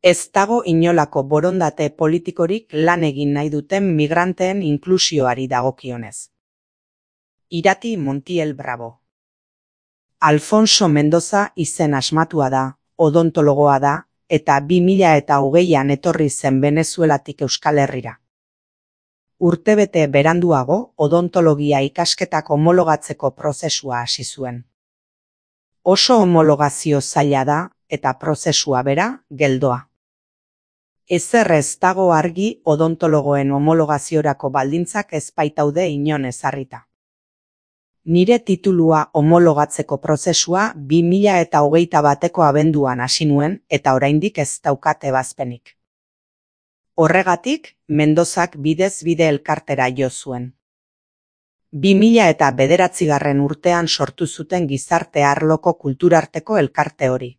Ez dago inolako borondate politikorik lan egin nahi duten migranteen inklusioari dagokionez. Irati Montiel Bravo. Alfonso Mendoza izen asmatua da, odontologoa da, eta 2020an etorri zen Venezuelatik Euskal Herrira. Urtebete beranduago odontologia ikasketak homologatzeko prozesua hasi zuen. Oso homologazio zaila da eta prozesua bera geldoa. Ezer ez dago argi odontologoen homologaziorako baldintzak ez baitaude inon ezarrita. Nire titulua homologatzeko prozesua 2021ko abenduan hasi nuen eta oraindik ez daukat ebazpenik. Horregatik, Mendozak bidez bide elkartera jo zuen. 2009 urtean sortu zuten gizarte arloko kulturarteko elkarte hori.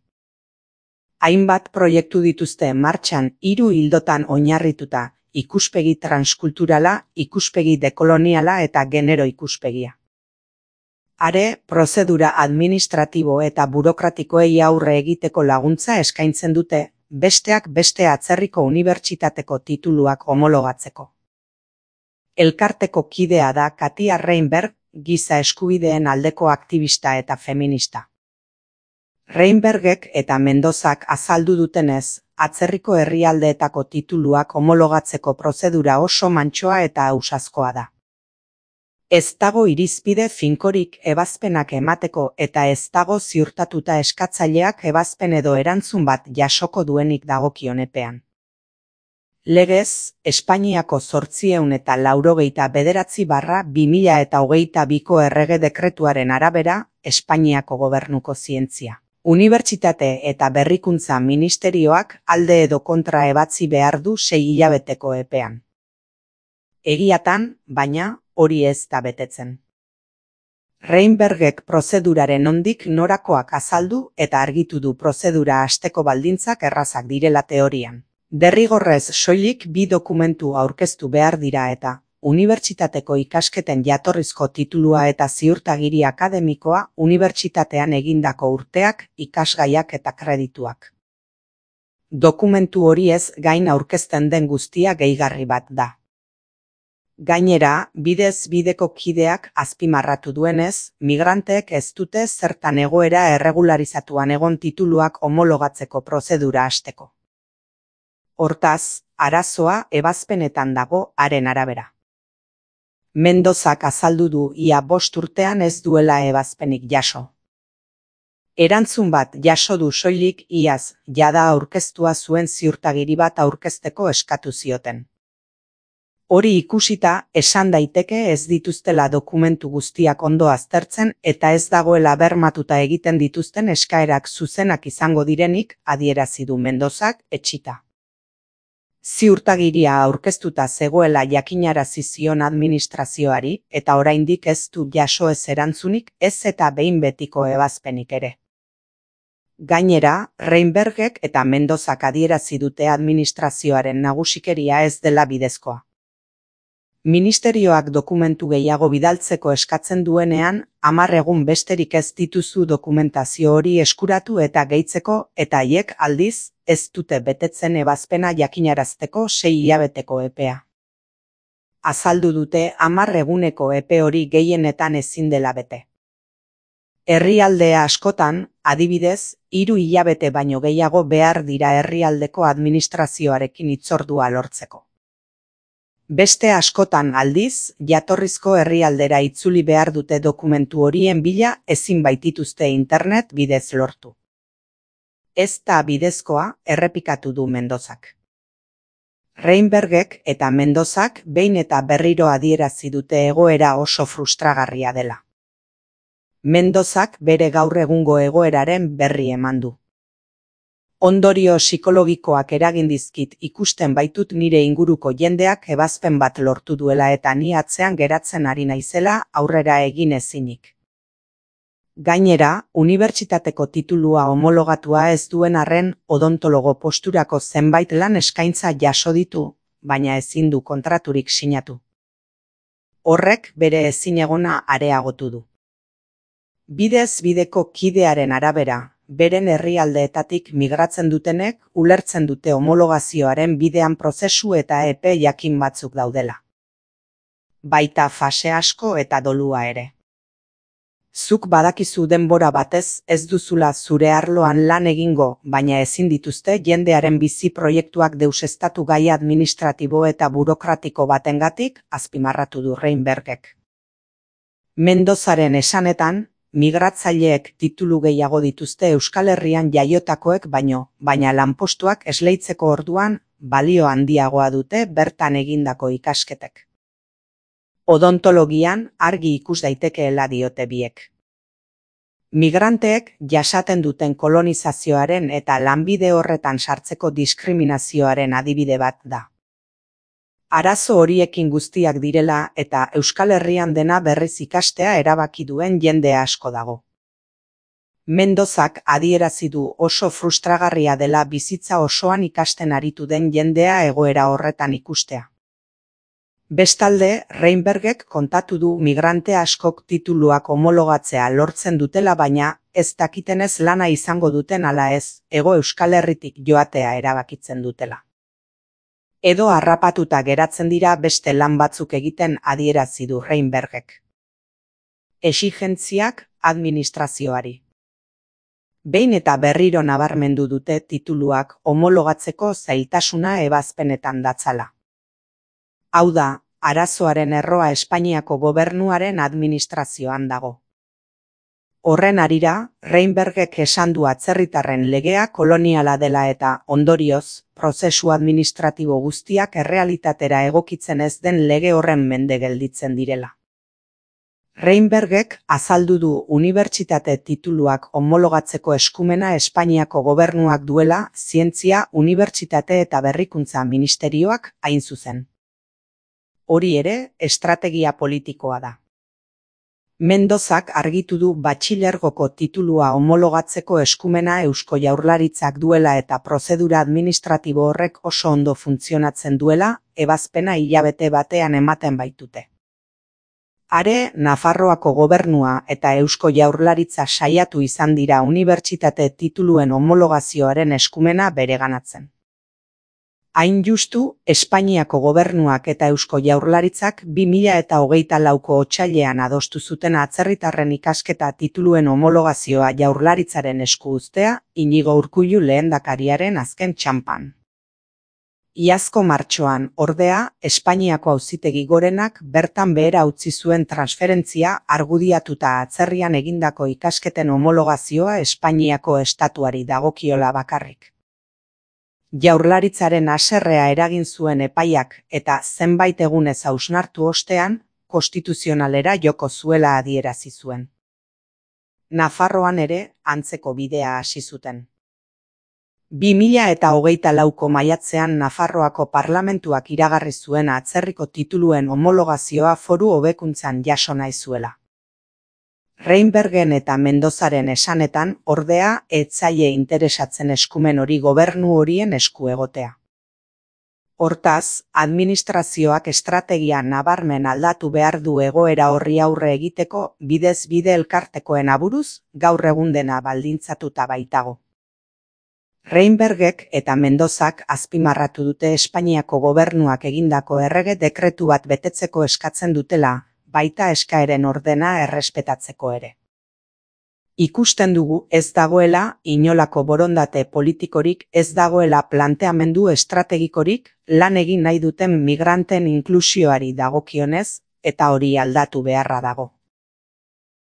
Hainbat proiektu dituzte martxan 3 ildotan oinarrituta: ikuspegi transkulturala, ikuspegi dekoloniala eta genero ikuspegia. Are, prozedura administratibo eta burokratikoei aurre egiteko laguntza eskaintzen dute, besteak beste atzerriko unibertsitateko tituluak homologatzeko. Elkarteko kidea da Katia Reinberg, giza eskubideen aldeko aktivista eta feminista. Reinbergek eta Mendozak azaldu dutenez, atzerriko herrialdeetako tituluak homologatzeko prozedura oso mantsoa eta ausazkoa da. Ez dago irizpide finkorik ebazpenak emateko eta ez dago ziurtatuta eskatzaileak ebazpen edo erantzun bat jasoko duenik dagokion epean. Legez, Espainiako 889/2022ko errege dekretuaren arabera, Espainiako gobernuko zientzia, unibertsitate eta berrikuntza ministerioak alde edo kontra ebatzi behar du 6 hilabeteko epean. Egiatan, baina, hori ez da betetzen. Reinbergek prozeduraren nondik norakoak azaldu eta argitu du prozedura hasteko baldintzak errazak direla teorian. Derrigorrez soilik 2 dokumentu aurkeztu behar dira eta unibertsitateko ikasketen jatorrizko titulua eta ziurtagiri akademikoa, unibertsitatean egindako urteak, ikasgaiak eta kredituak. Dokumentu horiez gain aurkezten den guztia gehigarri bat da. Gainera, bidez bideko kideak azpimarratu duenez, migranteek ez dute zertan egoera erregularizatuan egon tituluak homologatzeko prozedura hasteko. Hortaz, arazoa ebazpenetan dago haren arabera. Mendozak azaldu du ia 5 urtean ez duela ebazpenik jaso. Erantzun bat jaso du soilik iaz, jada aurkeztua zuen ziurtagiri bat aurkezteko eskatu zioten. Hori ikusita, esan daiteke ez dituztela dokumentu guztiak ondo aztertzen eta ez dagoela bermatuta egiten dituzten eskaerak zuzenak izango direnik, adierazi du Mendozak etsita. Ziurtagiria aurkeztuta zegoela jakinarazi zion administrazioari eta oraindik ez du jaso ez erantzunik ez eta behin betiko ebazpenik ere. Gainera, Reinbergek eta Mendozak adierazi dute administrazioaren nagusikeria ez dela bidezkoa. Ministerioak dokumentu gehiago bidaltzeko eskatzen duenean, 10 egun besterik ez dituzu dokumentazio hori eskuratu eta gehitzeko eta haiek aldiz, ez dute betetzen ebazpena jakinarazteko 6 hilabeteko epea. Azaldu dute 10 eguneko epe hori gehienetan ezin dela bete. Herrialde askotan, adibidez, 3 hilabete baino gehiago behar dira herrialdeko administrazioarekin hitzordua lortzeko. Beste askotan aldiz, jatorrizko herrialdera itzuli behar dute dokumentu horien bila ezin baitituzte internet bidez lortu. Ez da bidezkoa, errepikatu du Mendozak. Reinbergek eta Mendozak behin eta berriro adierazi dute egoera oso frustragarria dela. Mendozak bere gaur egungo egoeraren berri eman du. Ondorio psikologikoak eragin dizkit ikusten baitut nire inguruko jendeak ebazpen bat lortu duela eta ni atzean geratzen ari naizela aurrera egin ezinik. Gainera, unibertsitateko titulua homologatua ez duen arren odontologo posturako zenbait lan eskaintza jaso ditu, baina ezin du kontraturik sinatu. Horrek bere ezinegona areagotu du. Bidez bideko kidearen arabera, beren herrialdeetatik migratzen dutenek ulertzen dute homologazioaren bidean prozesu eta epe jakin batzuk daudela. Baita fase asko eta dolua ere. Zuk badakizu denbora batez ez duzula zure arloan lan egingo, baina ezin dituzte jendearen bizi proiektuak deuseztatu gai administratibo eta burokratiko batengatik, azpimarratu du Reinbergek. Mendozaren esanetan, migratzaileek titulu gehiago dituzte Euskal Herrian jaiotakoek baina lanpostuak esleitzeko orduan balio handiagoa dute bertan egindako ikasketek. Odontologian argi ikus daitekeela diote biek. Migranteek jasaten duten kolonizazioaren eta lanbide horretan sartzeko diskriminazioaren adibide bat da. Arazo horiekin guztiak direla eta Euskal Herrian dena berriz ikastea erabaki duen jende asko dago. Mendozak adierazi du oso frustragarria dela bizitza osoan ikasten aritu den jendea egoera horretan ikustea. Bestalde, Reinbergek kontatu du migrante askok tituluak homologatzea lortzen dutela baina ez dakitenez lana izango duten ala ez, Hego Euskal Herritik joatea erabakitzen dutela. Edo harrapatuta geratzen dira beste lan batzuk egiten adierazi du Reinbergek. Exigentziak administrazioari. Behin eta berriro nabarmendu dute tituluak homologatzeko zailtasuna ebazpenetan datzala. Hau da, arazoaren erroa Espainiako gobernuaren administrazioan dago. Horren harira, Reinbergek esan du atzerritarren legea koloniala dela eta, ondorioz, prozesu administratibo guztiak errealitatera egokitzen ez den lege horren mende gelditzen direla. Reinbergek azaldu du unibertsitate tituluak homologatzeko eskumena Espainiako gobernuak duela Zientzia, Unibertsitate eta Berrikuntza Ministerioak hain zuzen. Hori ere, estrategia politikoa da. Mendozak argitu du batxilergoko titulua homologatzeko eskumena Eusko Jaurlaritzak duela eta prozedura administratibo horrek oso ondo funtzionatzen duela, ebazpena hilabete batean ematen baitute. Are, Nafarroako gobernua eta Eusko Jaurlaritza saiatu izan dira unibertsitate tituluen homologazioaren eskumena bereganatzen. Hain justu, Espainiako gobernuak eta Eusko Jaurlaritzak 2024ko otsailean adostu zuten atzerritarren ikasketa tituluen homologazioa Jaurlaritzaren esku uztea, Iñigo Urkullu lehendakariaren azken txanpan. Iazko martxoan, ordea, Espainiako Auzitegi Gorenak bertan behera utzi zuen transferentzia argudiatuta atzerrian egindako ikasketen homologazioa Espainiako estatuari dagokiola bakarrik. Jaurlaritzaren haserrea eragin zuen epaiak eta zenbait egunez hausnartu ostean, konstituzionalera joko zuela adierazi zuen. Nafarroan ere antzeko bidea hasi zuten. 2024ko maiatzean Nafarroako parlamentuak iragarri zuen atzerriko tituluen homologazioa foru hobekuntzan jaso nahi zuela. Reinbergen eta Mendozaren esanetan, ordea, ez zaie interesatzen eskumen hori gobernu horien esku egotea. Hortaz, administrazioak estrategia nabarmen aldatu behar du egoera horri aurre egiteko bidez bide elkartekoen aburuz, gaur egun dena baldintzatuta baitago. Reinbergek eta Mendozak azpimarratu dute Espainiako gobernuak egindako errege dekretu bat betetzeko eskatzen dutela, baita eskaeren ordena errespetatzeko ere. Ikusten dugu ez dagoela inolako borondate politikorik, ez dagoela planteamendu estrategikorik lan egin nahi duten migranten inklusioari dagokionez eta hori aldatu beharra dago.